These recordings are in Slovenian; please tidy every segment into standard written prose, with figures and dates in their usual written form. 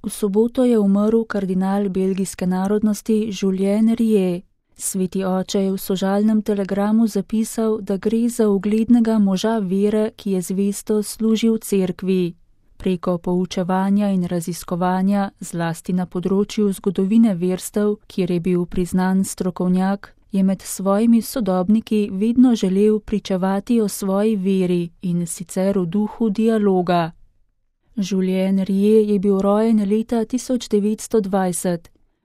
V soboto je umrl kardinal belgijske narodnosti Julien Rieu. Sveti oče je v sožalnem telegramu zapisal, da gre za uglednega moža vere, ki je zvesto služil cerkvi. Preko poučevanja in raziskovanja, zlasti na področju zgodovine verstev, kjer je bil priznan strokovnjak, je med svojimi sodobniki vedno želel pričevati o svoji veri in sicer v duhu dialoga. Julien Rieu je bil rojen leta 1920.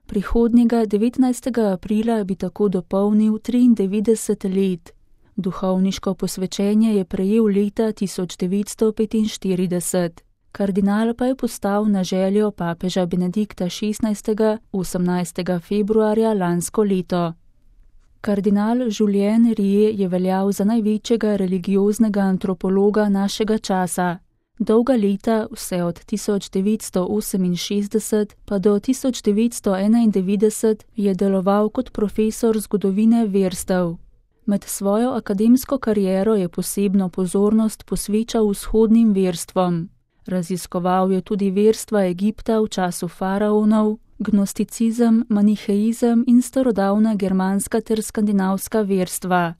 Prihodnjega 19. aprila bi tako dopolnil 93 let. Duhovniško posvečenje je prejel leta 1945. Kardinal pa je postal na željo papeža Benedikta XVI. 18. februarja lansko leto. Kardinal Julien Rieu je veljal za največjega religioznega antropologa našega časa. Dolga leta, vse od 1968 pa do 1991, je deloval kot profesor zgodovine verstev. Med svojo akademsko kariero je posebno pozornost posvečal vzhodnim verstvom. Raziskoval je tudi verstva Egipta v času faraonov, gnosticizem, maniheizem in starodavna germanska ter skandinavska verstva.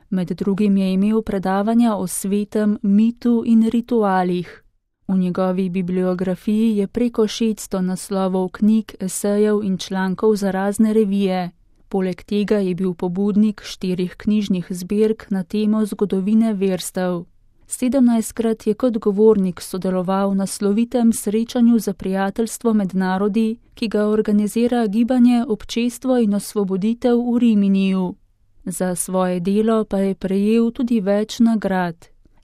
Med drugim je imel predavanja o svetem, mitu in ritualih. V njegovi bibliografiji je preko 600 naslovov knjig, esejev in člankov za razne revije. Poleg tega je bil pobudnik 4 knjižnih zbirk na temo zgodovine verstev. 17krat je kot govornik sodeloval na slovitem srečanju za prijateljstvo med narodi, ki ga organizira gibanje Občestvo in osvoboditev v Riminiju. Za svoje delo pa je prejel tudi več nagrad.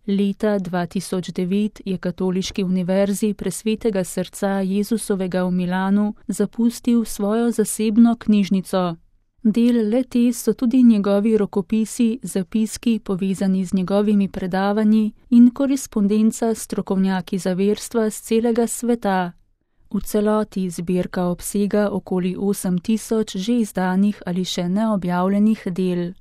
Leta 2009 je Katoliški univerzi Presvetega srca Jezusovega v Milanu zapustil svojo zasebno knjižnico. Del le-te so tudi njegovi rokopisi, zapiski povezani z njegovimi predavanji in korespondenca s strokovnjaki za verstva z celega sveta. V celoti zbirka obsega okoli 8000 že izdanih ali še neobjavljenih del.